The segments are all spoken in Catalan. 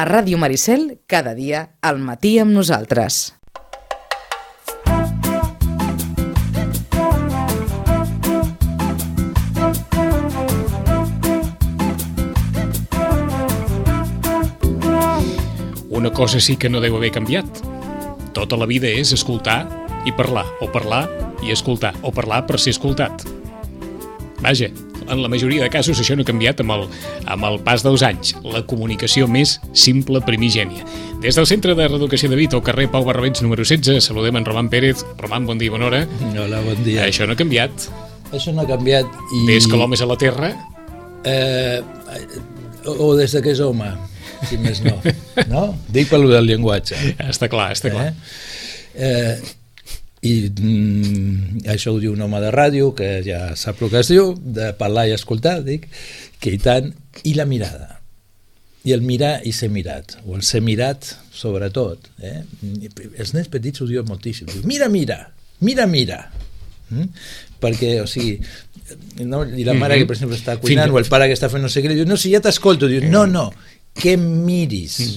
A Ràdio Maricel, cada dia, al matí amb nosaltres. Una cosa sí que no deu haver canviat. Tota la vida és escoltar i parlar, o parlar i escoltar, o parlar per ser escoltat. Vaja, en la majoria de casos això no ha canviat amb el pas dels anys. La comunicació més simple primigènia. Des del Centre de Reeducació de Vic, al carrer Pau Barrabens número 16, saludem en Roman Pérez. Roman, bon dia, bona hora. Hola, bon dia. Això no ha canviat. Això no ha canviat i... Des que l'home és a la Terra... O des que és home, si més no. No? Dic pel del llenguatge. Està clar, està clar. I això ho diu un home de ràdio, que ja sap el que es diu, de parlar i escoltar, dic, que i tant, i la mirada. I el mirar i ser mirat, o el ser mirat, sobretot. Els nens petits ho diuen moltíssim. Diu, mira, mira, mira, mira. Perquè, o sigui, no? I la mare que, per exemple, està cuinant, o el pare que està fent no sé què, diu, no, si ja t'escolto, diu, no, que miris.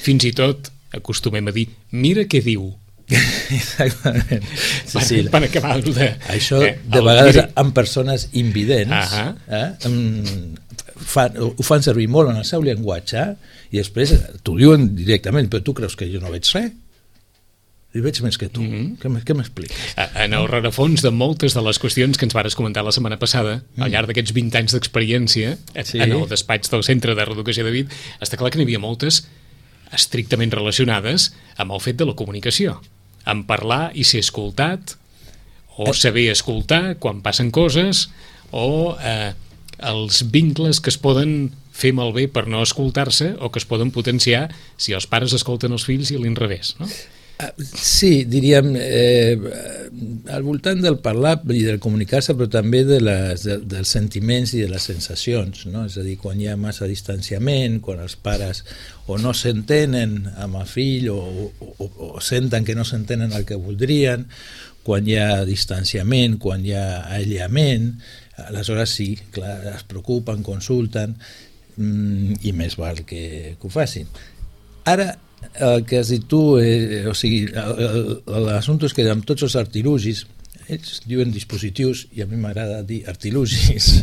Fins i tot acostumem a dir, mira què diu. Exactament. Sí, per acabar de... Això, de vegades, amb persones invidents, ho fan servir molt en el seu llenguatge, i després t'ho diuen directament, però tu creus que jo no veig res? I veig més que tu. Què m'expliques? En el rerefons de moltes de les qüestions que ens vares comentar la setmana passada, al llarg d'aquests 20 anys d'experiència en el despatx del Centre de Reeducació de Vic, està clar que n'hi havia moltes estrictament relacionades amb el fet de la comunicació, amb parlar i ser escoltat, o saber escoltar quan passen coses, o els vincles que es poden fer malbé per no escoltar-se o que es poden potenciar si els pares escolten els fills i a l'inrevés, no? Sí, diríem al voltant del parlar i del comunicar-se, però també dels sentiments i de les sensacions, no? És a dir, quan hi ha massa distanciament, quan els pares o no s'entenen amb el fill o senten que no s'entenen el que voldrien, quan hi ha distanciament, quan hi ha aïllament, aleshores sí, clar, es preocupen, consulten, i més val que ho facin. Ara, el que has dit tu, o sigui, l'assumpte és que amb tots els artilugis, ells diuen dispositius i a mi m'agrada dir artilugis,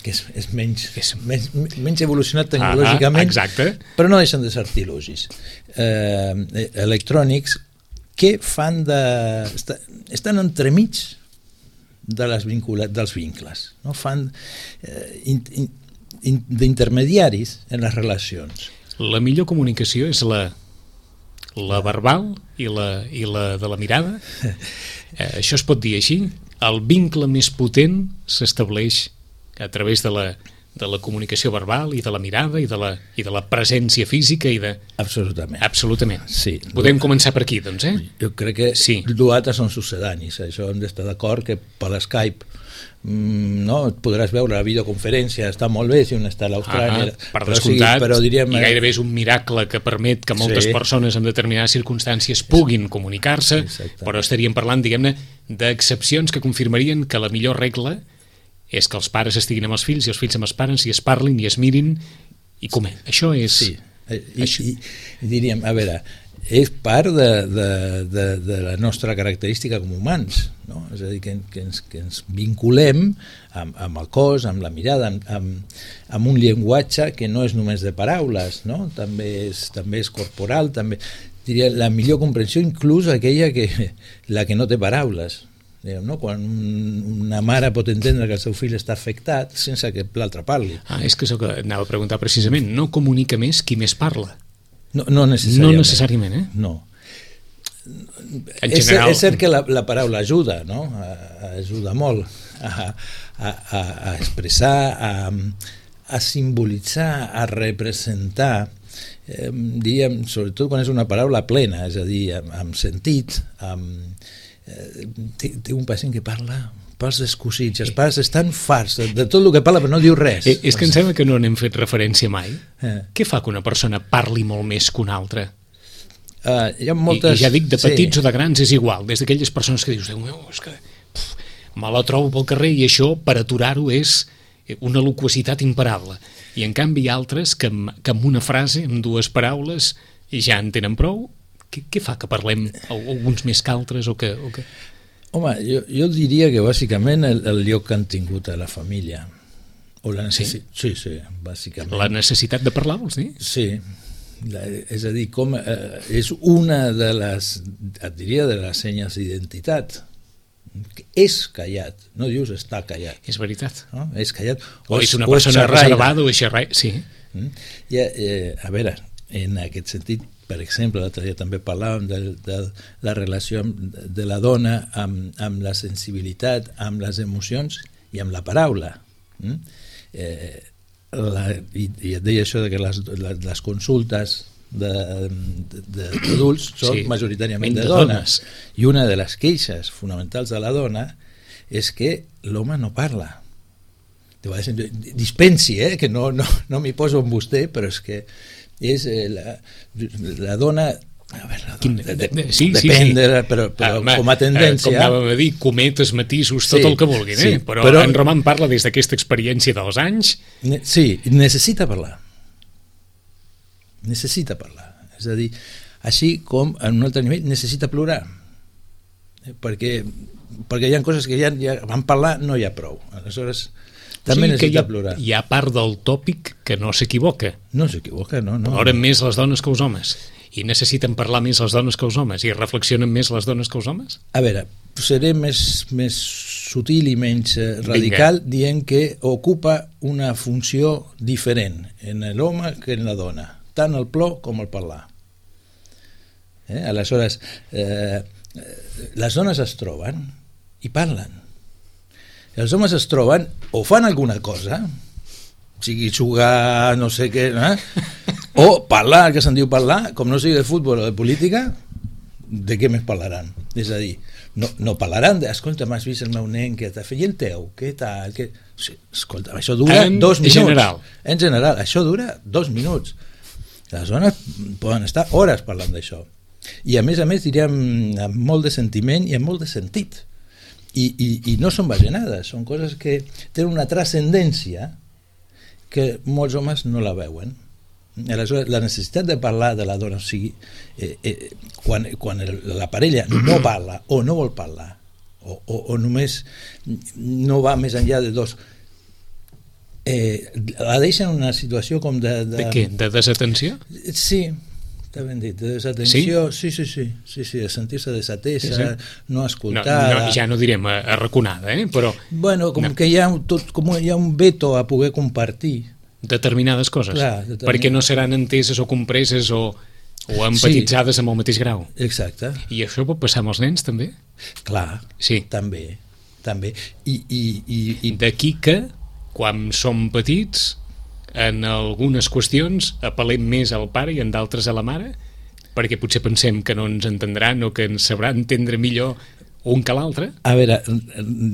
que és menys evolucionat tecnològicament, però no deixen de ser artilugis electrònics que fan estan entremig dels vincles, no? Fan d'intermediaris en les relacions. La millor comunicació és la verbal i la de la mirada. Això es pot dir així. El vincle més potent s'estableix a través de la comunicació verbal i de la mirada i de la presència física i de... Absolutament. Sí. Podem començar per aquí, doncs, Jo crec que sí. L'altre són succedanis. Això hem d'estar d'acord que per l'Skype no, et podràs veure la videoconferència, està molt bé si un està a l'Austràlia, per descomptat, i gairebé és un miracle que permet que moltes persones en determinades circumstàncies puguin comunicar-se, però estaríem parlant, diguem-ne, d'excepcions que confirmarien que la millor regla és que els pares estiguin amb els fills i els fills amb els pares i es parlin i es mirin i comen. Això és... Sí, i diríem, a veure, és part de la nostra característica com humans, no? És a dir, que ens vinculem amb el cos, amb la mirada, amb un llenguatge que no és només de paraules, no? També és corporal, també diria la millor comprensió, inclús aquella la que no té paraules. No? Quan una mare pot entendre que el seu fill està afectat sense que l'altre parli. És que això que anava a preguntar precisament, no comunica més qui més parla? No necessàriament. No necessàriament, No. És cert que la paraula ajuda, no? Ajuda molt a expressar, a simbolitzar, a representar, diríem, sobretot quan és una paraula plena, és a dir, amb sentit, té un pacient que parla pels descosits, els pares estan farts de tot el que parla però no diu res. És que em sembla que no n'hem fet referència mai. Què fa que una persona parli molt més que una altra? Hi ha moltes... I ja dic, de petits o de grans és igual, des d'aquelles persones que dius, Déu meu, és que me la trobo pel carrer i això per aturar-ho és una loquacitat imparable. I en canvi hi ha altres que amb una frase, amb 2 paraules, ja en tenen prou. Què fa que parlem alguns més que altres? Home, jo diria que bàsicament el lloc que han tingut a la família. O la necessitat. Sí, bàsicament. La necessitat de parlar, vols dir? Sí. És a dir, és una de les, et diria, de les senyes d'identitat. És callat, no dius està callat. És veritat. No? És callat. O és una persona reservada o és xerraire. Sí. A veure, en aquest sentit, per exemple, l'altre dia també parlàvem de la relació de la dona amb la sensibilitat, amb les emocions i amb la paraula. I et deia això de que les consultes d'adults són majoritàriament de dones. I una de les queixes fonamentals de la dona és que l'home no parla. Dispensi, que no m'hi poso amb vostè, però és que és la dona... Depèn, però com a tendència... Com anàvem a dir, cometes, matisos, tot el que vulguin, però en Roman parla des d'aquesta experiència dels anys... Sí, necessita parlar. Necessita parlar. És a dir, així com en un altre nivell necessita plorar. Perquè hi ha coses que ja van parlar, no hi ha prou. Aleshores... també necessita plorar. Hi ha part del tòpic que no s'equivoca. No s'equivoca, no. Ploren més les dones que els homes. I necessiten parlar més les dones que els homes. I reflexionen més les dones que els homes? A veure, seré més sutil i menys radical dient que ocupa una funció diferent en l'home que en la dona. Tant el plor com el parlar. Aleshores, les dones es troben i parlen. Els homes es troben o fan alguna cosa, sigui jugar, no sé què, o parlar, que se'n diu parlar, com no sigui de futbol o de política, de què més parlaran? És a dir, no parlaran de, escolta, m'has vist el meu nen, què t'ha fet? I el teu, què tal? Sí, escolta, això dura 2 minuts. En general, això dura 2 minuts. Les dones poden estar hores parlant d'això. I a més, diríem, amb molt de sentiment i amb molt de sentit. I no són bajanades, són coses que tenen una transcendència que molts homes no la veuen. Aleshores, la necessitat de parlar de la dona, o sigui, quan la parella no parla o no vol parlar o només no va més enllà de dos, la deixa en una situació com de què? De desatenció? Sí, està ben dit, de desatenció. Sí, de sentir-se desatesa, no escoltada. Ja no direm arraconada, però... Bueno, que hi ha un veto a poder compartir determinades coses, perquè no seran enteses o compreses o empatitzades amb el mateix grau. Exacte. I això pot passar amb els nens, també? Clar, sí. També. I d'aquí que, quan som petits, en algunes qüestions apel·lem més al pare i en d'altres a la mare, perquè potser pensem que no ens entendran o que ens sabrà entendre millor un que l'altre. A veure,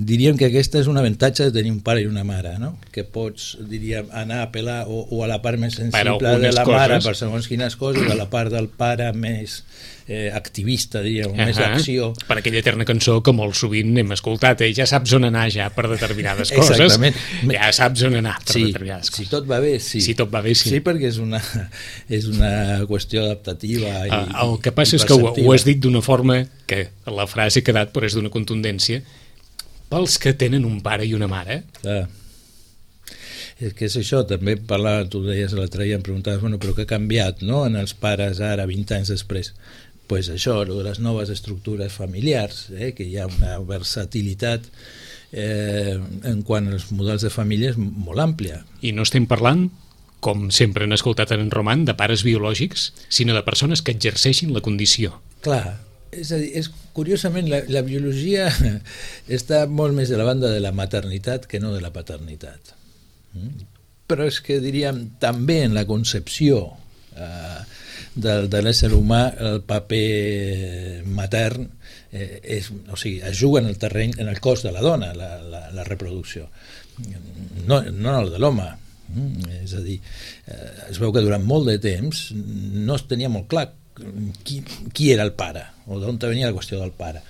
diríem que aquesta és un avantatge de tenir un pare i una mare, no? Que pots, diríem, anar a apel·lar o a la part més sensible de la mare per segons quines coses, a la part del pare més activista, diríem, més d'acció. Per aquella eterna cançó que molt sovint hem escoltat, ja saps on anar ja per determinades coses. Exactament. Ja saps on anar per determinades coses. Si tot va bé, sí. Si tot va bé, sí. Sí, perquè és una qüestió adaptativa i el que passa és que ho has dit d'una forma que la frase ha quedat, però és d'una contundència, pels que tenen un pare i una mare. Clar. És que és això, també tu deies l'altre dia, em preguntaves, però què ha canviat, no?, en els pares ara, 20 anys després? Pues això, de les noves estructures familiars, que hi ha una versatilitat en quant als models de famílies molt àmplia. I no estem parlant, com sempre han escoltat en Roman, de pares biològics, sinó de persones que exerceixin la condició. Clar, és a dir, curiosament la biologia està molt més de la banda de la maternitat que no de la paternitat. Però és que diríem també en la concepció de l'ésser humà el paper matern es juga en el terreny, en el cos de la dona, la reproducció, no el de l'home. És a dir, es veu que durant molt de temps no es tenia molt clar qui era el pare o d'on venia la qüestió del pare.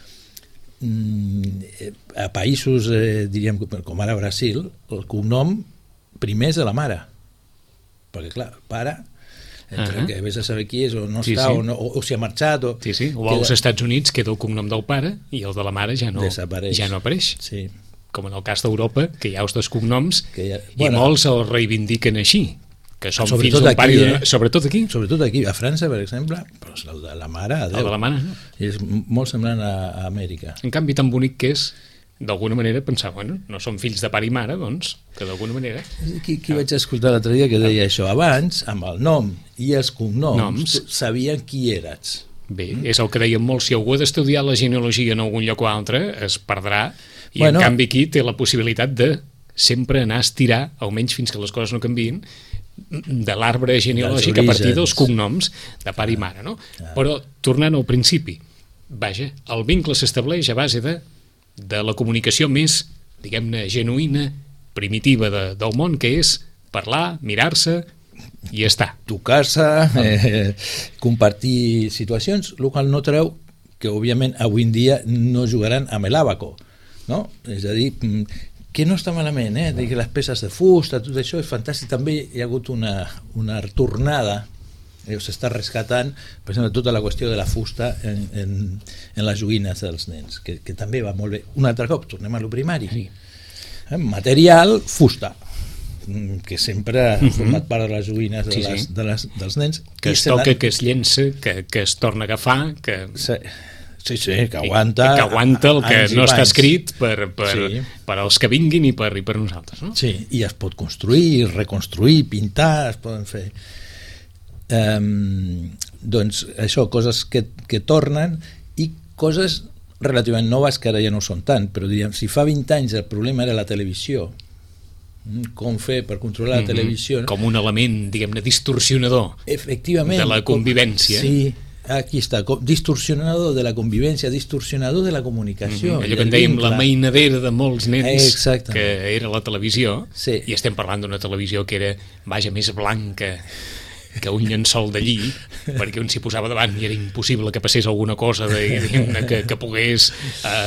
A països, diríem, com ara Brasil, el cognom primer és de la mare, perquè clar, el pare, entre que vés a saber qui és o no està, o si ha marxat o als Estats Units queda el cognom del pare i el de la mare ja no apareix. Sí. Com en el cas d'Europa, que hi ha els dos cognoms i molts el reivindiquen així, que són fills d'un pare sobretot aquí, a França per exemple, però el de la mare, adeu. El de la mare, no? És molt semblant a Amèrica. En canvi, tan bonic que és d'alguna manera pensar, bueno, no són fills de pare i mare, doncs, que d'alguna manera... Qui vaig escoltar l'altre dia que deia això? Abans, amb el nom i els cognoms, sabien qui eres. Bé, és el que deien molts, si algú ha d'estudiar la genealogia en algun lloc o altre, es perdrà, i en canvi aquí té la possibilitat de sempre anar a estirar, almenys fins que les coses no canviïn, de l'arbre genealògic a partir dels cognoms de pare i mare, no? Però, tornant al principi, vaja, el vincle s'estableix a base de la comunicació més, diguem-ne, genuïna, primitiva del món, que és parlar, mirar-se i estar. Tocar-se, compartir situacions, el qual no treu que, òbviament, avui en dia no jugaran amb l'àbaco, no? És a dir, que no està malament, que les peces de fusta, tot això és fantàstic. També hi ha hagut una tornada, s'està rescatant, per exemple, tota la qüestió de la fusta en les joguines dels nens, que també va molt bé. Un altre cop, tornem a lo primari. Sí. Material, fusta, que sempre ha format part de les joguines dels nens. Que es toca, que es llença, que es torna a agafar, que... Sí, que aguanta el que no està escrit per als que vinguin i per nosaltres, no? Sí, i es pot construir, reconstruir, pintar, es poden fer doncs això, coses que tornen, i coses relativament noves que ara ja no són tant, però diríem, si fa 20 anys el problema era la televisió, com fer per controlar la televisió, com un element, diguem-ne, distorsionador de la convivència. Sí, aquí està, distorsionador de la convivència, distorsionador de la comunicació. Allò que en dèiem la mainadera de molts nens, que era la televisió, i estem parlant d'una televisió que era, vaja, més blanca que un llençol de lli, perquè un s'hi posava davant i era impossible que passés alguna cosa que pogués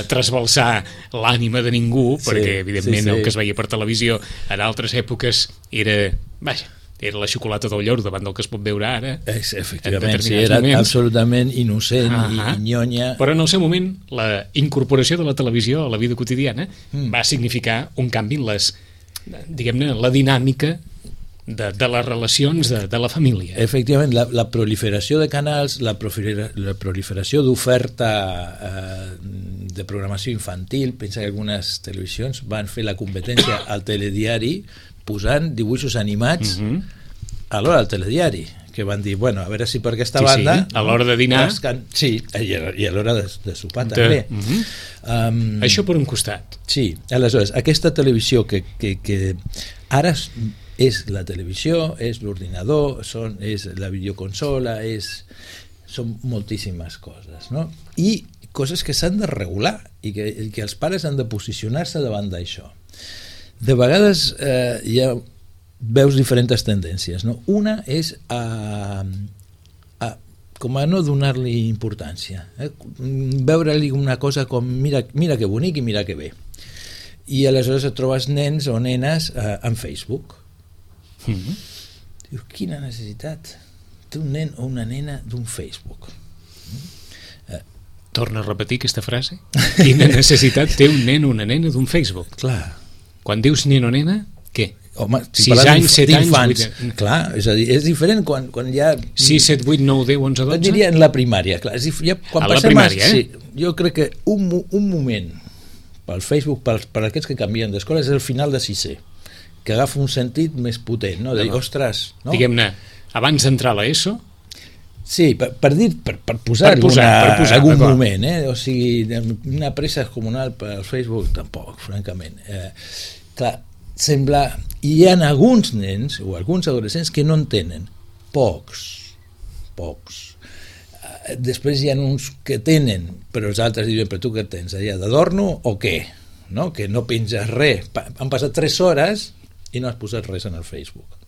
trasbalsar l'ànima de ningú, perquè evidentment el que es veia per televisió en altres èpoques era, vaja, era la xocolata del lloro davant del que es pot veure ara. Efectivament, era absolutament innocent i nyonya. Però en el seu moment, la incorporació de la televisió a la vida quotidiana va significar un canvi en diguem-ne, la dinàmica de les relacions de la família. Efectivament, la proliferació de canals, la proliferació d'oferta de programació infantil, pensa que algunes televisions van fer la competència al telediari posant dibuixos animats a l'hora del telediari, que van dir, bueno, a veure si per aquesta banda... Sí, a l'hora de dinar... Sí, i a l'hora de sopar també. Això per un costat. Sí, aleshores, aquesta televisió que ara és la televisió, és l'ordinador, és la videoconsola, són moltíssimes coses, no? I coses que s'han de regular i que els pares han de posicionar-se davant d'això. De vegades ja veus diferents tendències, no? Una és com a no donar-li importància, veure-li una cosa com mira que bonic i mira que bé, i aleshores et trobes nens o nenes en Facebook. Dius, quina necessitat té un nen o una nena d'un Facebook? Torna a repetir aquesta frase. Quina necessitat té un nen o una nena d'un Facebook? Clar. Quan dius nen o nena, què? Home, 6 anys, 7 anys, 8 anys. Clar, és a dir, és diferent quan hi ha... 6, 7, 8, 9, 10, 11, 12? Et diria en la primària, clar. A la primària, sí, jo crec que un moment pel Facebook, per aquests que canvien d'escola, és el final de 6è, que agafa un sentit més potent, no? De dir, ostres... No? Diguem-ne, abans d'entrar a l'ESO... Sí, per posar algun moment, o sigui, una pressa comunal per Facebook, tampoc, francament. Clar, sembla... Hi ha alguns nens o alguns adolescents que no en tenen, pocs. Després hi ha uns que tenen, però els altres diuen, però tu què tens, allà d'adorno o què? No? Que no penges res. Han passat 3 hores i no has posat res en el Facebook.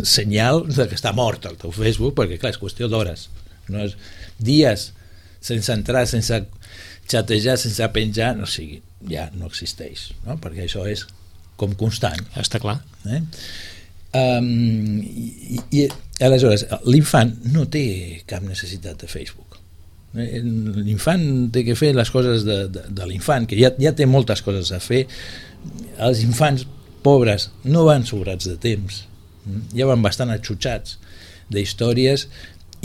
Senyal de que està mort el teu Facebook, perquè clar, és qüestió d'hores, no és dies sense entrar, sense xatejar, sense penjar, no sigui, ja no existeix, no? Perquè això és com constant. Està clar. I aleshores, l'infant no té cap necessitat de Facebook. L'infant té que fer les coses de l'infant, que ja té moltes coses a fer. Els infants pobres no van sobrats de temps, ja van bastant atxutxats d'històries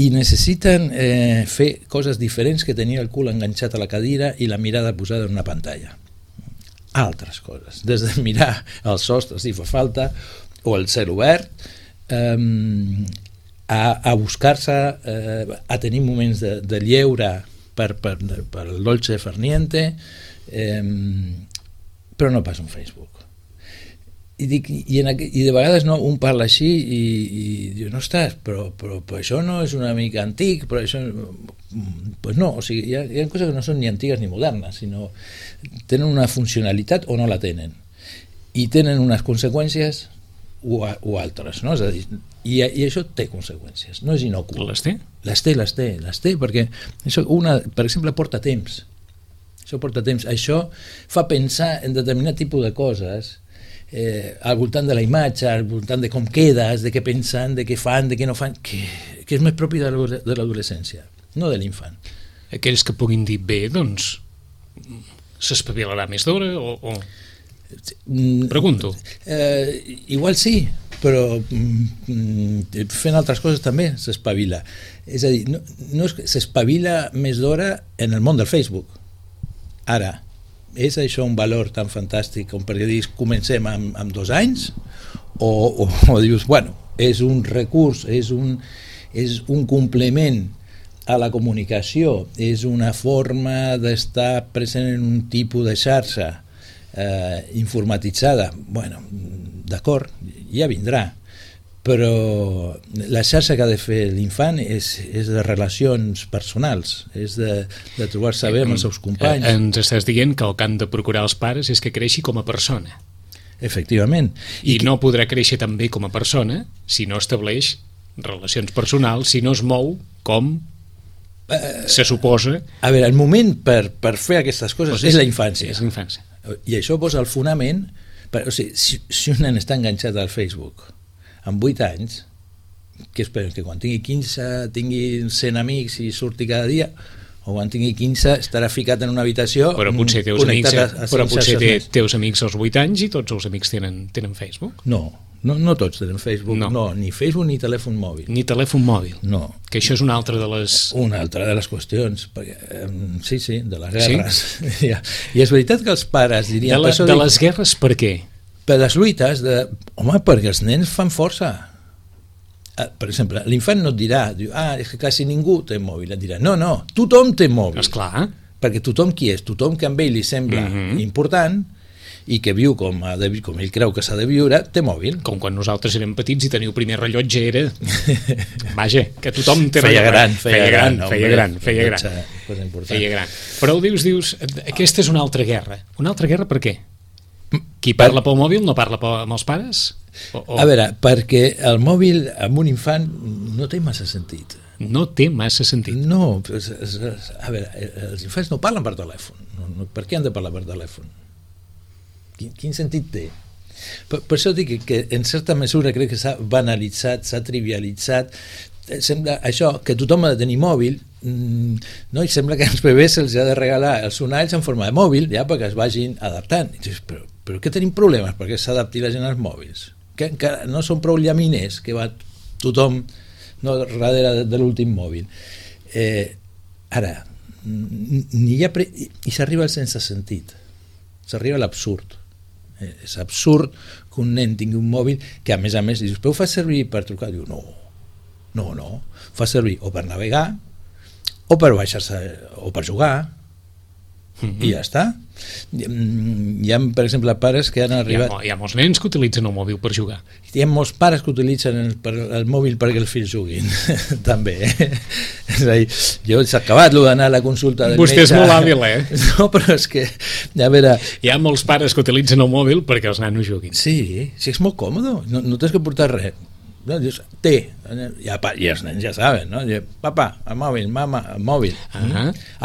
i necessiten fer coses diferents que tenir el cul enganxat a la cadira i la mirada posada en una pantalla. Altres coses, des de mirar els sostres si fa falta o el cel obert, a buscar-se, a tenir moments de lleure per el dolce farniente, però no pas un Facebook. I de vegades un parla així i diu, no estàs, però això no és una mica antic, però això... Pues no, o sigui, hi ha coses que no són ni antigues ni modernes, sinó tenen una funcionalitat o no la tenen, i tenen unes conseqüències o altres, no? És a dir, i això té conseqüències, no és inocul. Les té? Les té, perquè això, per exemple, porta temps. Això fa pensar en determinat tipus de coses, al voltant de la imatge, al voltant de com quedes, de què pensen, de què fan, de què no fan, que és més propi de l'adolescència, no de l'infant. Aquells que puguin dir bé, doncs s'espavilarà més d'hora o... Pregunto. Igual sí, però fent altres coses també s'espavila. És a dir, no s'espavila més d'hora en el món del Facebook. Ara, és això un valor tan fantàstic com perquè dius comencem amb 2 anys o dius, bueno, és un recurs, és un complement a la comunicació, és una forma d'estar present en un tipus de xarxa informatitzada. Bueno, d'acord, ja vindrà, però la xarxa que ha de fer l'infant és de relacions personals, és de trobar-se bé amb els seus companys. Ens estàs dient que el que han de procurar els pares és que creixi com a persona. Efectivament. I no podrà créixer també com a persona si no estableix relacions personals, si no es mou com se suposa. A veure, el moment per fer aquestes coses és la infància. És la infància. I això posa el fonament, o sigui, si un nen està enganxat al Facebook amb 8 anys, que esperen que quan tingui 15 tingui 100 amics i surti cada dia, o quan tingui 15 estarà ficat en una habitació però potser teus amics als 8 anys i tots els amics tenen Facebook? No tots tenen Facebook, no, ni Facebook ni telèfon mòbil. Ni telèfon mòbil? No. Que això és una altra de les... Una altra de les qüestions, perquè, sí, de les guerres. Sí? I és veritat que els pares dirien... De les guerres per què? Per les lluites, home, perquè els nens fan força. Per exemple, l'infant no et dirà, és que quasi ningú té mòbil, et dirà, no, tothom té mòbil. Esclar. Perquè tothom qui és? Tothom que amb ell li sembla important i que viu com ell creu que s'ha de viure, té mòbil. Com quan nosaltres érem petits i teniu primer rellotge era... Vaja, que tothom té rellotge. Feia gran. Però dius, aquesta és una altra guerra. Una altra guerra per què? Qui parla pel mòbil no parla amb els pares? A veure, perquè el mòbil amb un infant no té massa sentit. No té massa sentit? No, a veure, els infants no parlen per telèfon. Per què han de parlar per telèfon? Quin sentit té? Per això dic que en certa mesura crec que s'ha banalitzat, s'ha trivialitzat. Sembla això, que tothom ha de tenir mòbil, no? I sembla que als bebès se'ls ha de regalar els sonalls en forma de mòbil, ja perquè es vagin adaptant. I dius, però què tenim problemes perquè s'adapti la gent als mòbils? Que encara no són prou llaminers que va tothom darrere de l'últim mòbil. Ara, i s'arriba al sense sentit, s'arriba a l'absurd. És absurd que un nen tingui un mòbil que a més dius, però ho fa servir per trucar? Diu, no, fa servir o per navegar o per baixar-se o per jugar i ja està. Hi ha, per exemple, pares que han arribat... Hi ha molts nens que utilitzen el mòbil per jugar. Hi ha molts pares que utilitzen el mòbil perquè els fills juguin, també. És a dir, jo s'ha acabat d'anar a la consulta del metge... Vostè és molt hàbil, No, però és que... A veure... Hi ha molts pares que utilitzen el mòbil perquè els nanos juguin. Sí, és molt còmode, no tens que portar res. No? Dius, té, i els nens ja saben, no? Papa, el mòbil, mama, el mòbil.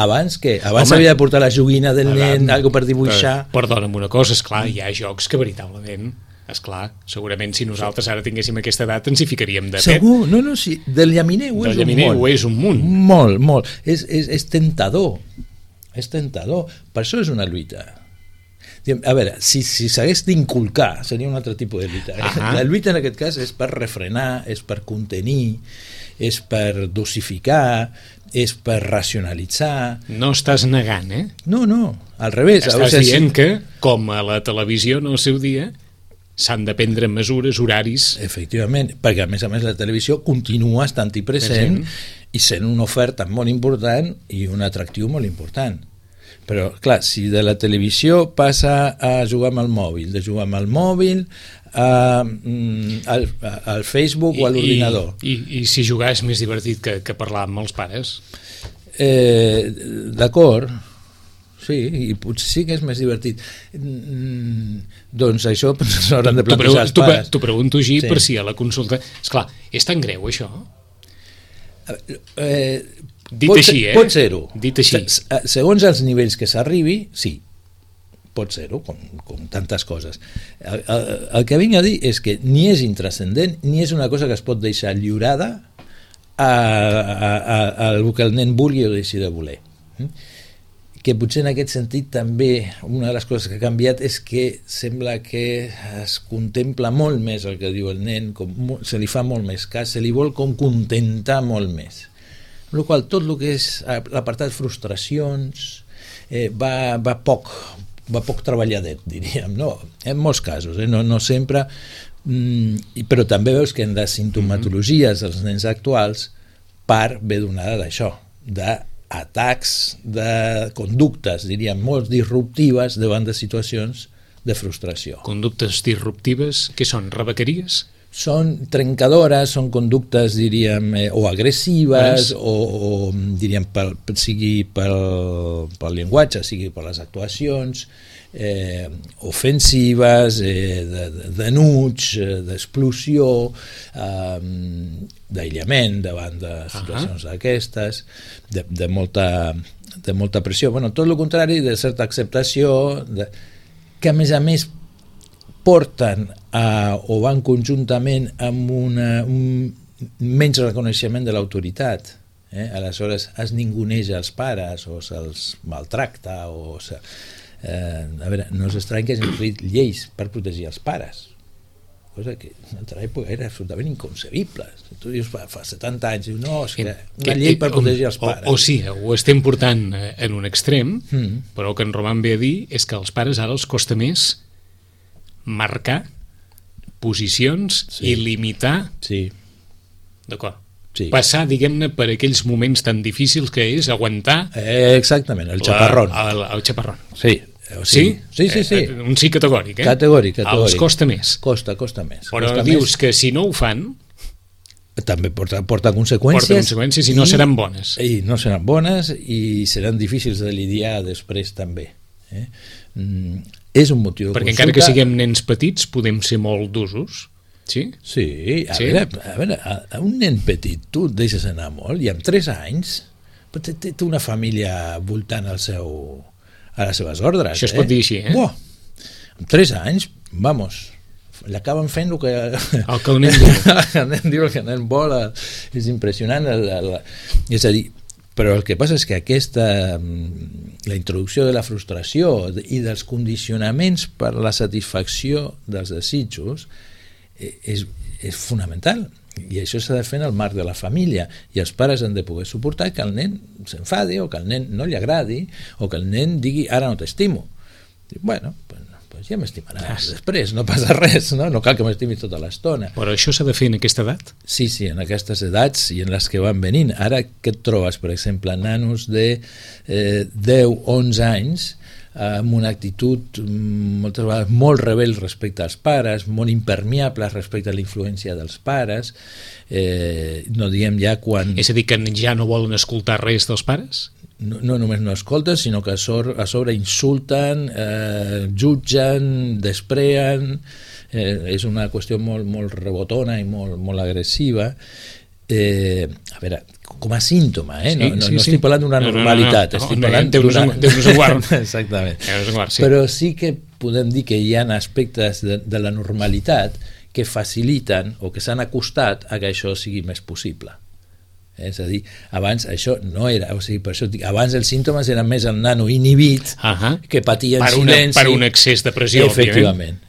Abans què? Abans s'havia de portar la joguina del nen, algo per dibuixar. Perdona'm una cosa, esclar, hi ha jocs que veritablement, esclar, segurament si nosaltres ara tinguéssim aquesta edat ens hi ficaríem de pet. Segur, no, sí, del llaminer ho és un munt. Molt. És tentador. És tentador. Per això és una lluita. A veure, si s'hagués d'inculcar seria un altre tipus de lluita. La lluita en aquest cas és per refrenar, és per contenir, és per dosificar, és per racionalitzar. No estàs negant, eh? No, al revés. Estàs dient que, com a la televisió en el seu dia, s'han de prendre mesures, horaris... Efectivament, perquè a més la televisió continua estant-hi present i sent una oferta molt important i un atractiu molt important. Però, clar, si de la televisió passa a jugar amb el mòbil, de jugar amb el mòbil al Facebook o a l'ordinador. I si jugar és més divertit que parlar amb els pares? D'acord, sí, i potser sí que és més divertit. Doncs això s'hauran de plantejar els pares. T'ho pregunto així per si a la consulta... Esclar, és tan greu això? Pot ser-ho. Dit així. Segons els nivells que s'arribi, sí, pot ser-ho, com tantes coses. El que vinc a dir és que ni és intrascendent ni és una cosa que es pot deixar lliurada al que el nen vulgui o deixi de voler. Que potser en aquest sentit també una de les coses que ha canviat és que sembla que es contempla molt més el que diu el nen, se li fa molt més cas, se li vol com contentar molt més. Amb la qual tot el que és l'apartat frustracions va poc treballadet, diríem, no? En molts casos, no sempre, però també veus que en les sintomatologies dels nens actuals part ve donada d'això, d'atacs, de conductes, diríem, molt disruptives davant de situacions de frustració. Conductes disruptives, què són, rebequeries? Són trencadores, són conductes, diríem, o agressives, o diríem, sigui pel llenguatge, sigui per les actuacions, ofensives, d'enuig, d'explosió, d'aïllament davant de situacions d'aquestes, de molta pressió. Bueno, tot el contrari, de certa acceptació, que a més porten o van conjuntament amb un menys reconeixement de l'autoritat. Aleshores es ninguneja els pares o se'ls maltracta a veure, no és estrany que hagin fet lleis per protegir els pares, cosa que en altra època era absolutament inconcebible. Tu dius fa 70 anys, dius, no, és que una llei per protegir els pares. O sí, ho estem portant en un extrem, però el que en Roman ve a dir és que als pares ara els costa més marcar posicions i limitar, d'acord, passar, diguem-ne, per aquells moments tan difícils que és aguantar exactament, el xaparrón. El xaparrón. Sí. Un sí categòric, eh? Categòric. Els costa més. Costa més. Però dius que si no ho fan també porta conseqüències i no seran bones. I no seran bones i seran difícils de lidiar després també. És un motiu de perquè consulta. encara que siguem nens petits podem ser molt d'usos, sí? Sí, a veure, a un nen petit tu et deixes anar molt i amb 3 anys té una família voltant a les seves ordres. Això es pot dir així, eh? Amb 3 anys, vamos, l'acaben fent el que el nen diu. El nen diu, el que el nen vol, és impressionant. És a dir, però el que passa és que la introducció de la frustració i dels condicionaments per la satisfacció dels desitjos és fonamental, i això s'ha de fer en el marc de la família, i els pares han de poder suportar que el nen s'enfadi o que el nen no li agradi o que el nen digui ara no t'estimo. Bueno, pues ja m'estimaràs després, no passa res, no cal que m'estimis tota l'estona. Però això s'ha de fer en aquesta edat? Sí, en aquestes edats i en les que van venint. Ara què et trobes, per exemple, nanos de 10-11 anys amb una actitud moltes vegades molt rebel respecte als pares, molt impermeable respecte a la influència dels pares, no diem ja quan... És a dir, que ja no volen escoltar res dels pares? no només no escolten, sinó que a sobre insulten, jutgen, despreen, és una qüestió molt rebotona i molt agressiva. A veure, com a símptoma, no estic parlant d'una normalitat, estic parlant d'una... Déu-nos en guard. Exactament. Però sí que podem dir que hi ha aspectes de la normalitat que faciliten o que s'han acostat a que això sigui més possible. És a dir, abans això no era, o sigui, per això dic, abans els símptomes eren més el nano inhibit, que patia en silenci. Per un excés de pressió, efectivament,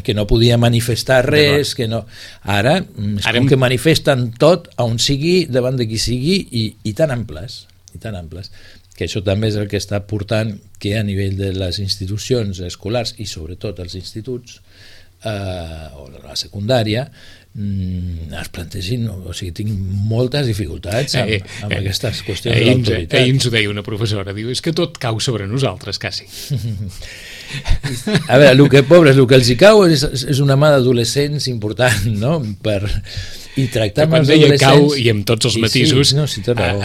que no podia manifestar res, que no... Ara, com que manifesten tot, on sigui, davant de qui sigui, i tan amples, que això també és el que està portant que a nivell de les institucions escolars i sobretot els instituts o la secundària es plantegin, o sigui, tinc moltes dificultats amb aquestes qüestions de l'autoritat. Ahir ens ho deia una professora, diu, és que tot cau sobre nosaltres, quasi. A veure, el que els hi cau és una mà d'adolescents important, no? I tractar amb els adolescents... Cau, i amb tots els matisos... Sí, té raó.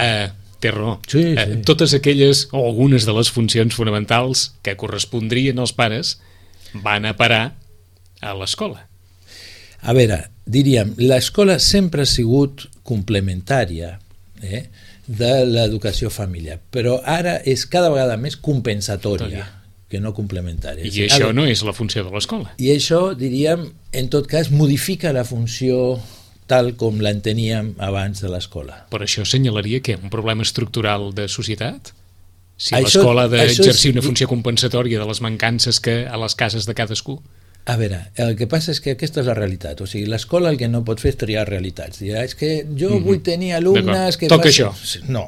Té raó. Sí. Totes aquelles, o algunes de les funcions fonamentals que correspondrien als pares van a parar a l'escola. A veure, diríem, l'escola sempre ha sigut complementària de l'educació familiar, però ara és cada vegada més compensatòria que no complementària. I això no és la funció de l'escola. I això, diríem, en tot cas, modifica la funció tal com l'enteníem abans de l'escola. Per això assenyalaria que un problema estructural de societat? Si l'escola ha d'exercir una funció compensatòria de les mancances que a les cases de cadascú? A veure, el que passa és que aquesta és la realitat. O sigui, l'escola el que no pot fer és triar realitats. Dirà, és que jo vull tenir alumnes que... Toca això. No,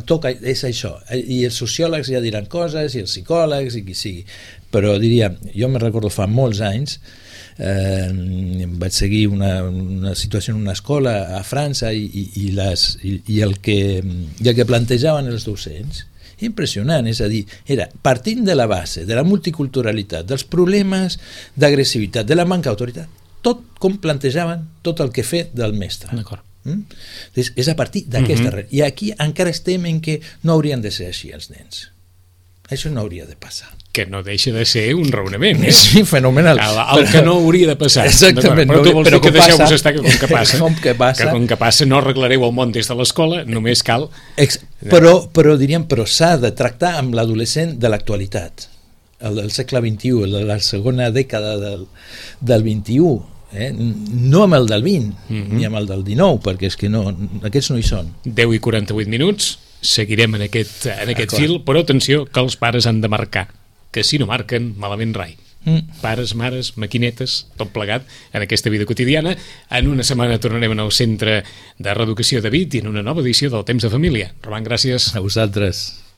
toca, és això. I els sociòlegs ja diran coses, i els psicòlegs, i qui sigui. Però diria, jo me recordo fa molts anys, vaig seguir una situació en una escola a França i el que plantejaven els docents impressionant, és a dir, era partint de la base de la multiculturalitat, dels problemes d'agressivitat, de la manca d'autoritat, tot com plantejaven tot el que fer del mestre. D'acord. És a partir d'aquesta i aquí encara estem en que no haurien de ser així els nens. Això no hauria de passar. Que no deixa de ser un raonament. Sí, fenomenal. El que no hauria de passar. Exactament. Però tu vols dir que deixeu-vos estar que com que passa no arreglareu el món des de l'escola, només cal... Però diríem, s'ha de tractar amb l'adolescent de l'actualitat, el del segle XXI, de la segona dècada del XXI, no amb el del XX ni amb el del XIX, perquè és que aquests no hi són. 10:48, seguirem en aquest fil, però atenció que els pares han de marcar, que si no marquen, malament rai. Pares, mares, maquinetes, tot plegat en aquesta vida quotidiana. En una setmana tornarem al Centre de Reeducació de Vic i en una nova edició del Temps de Família. Roman, gràcies. A vosaltres.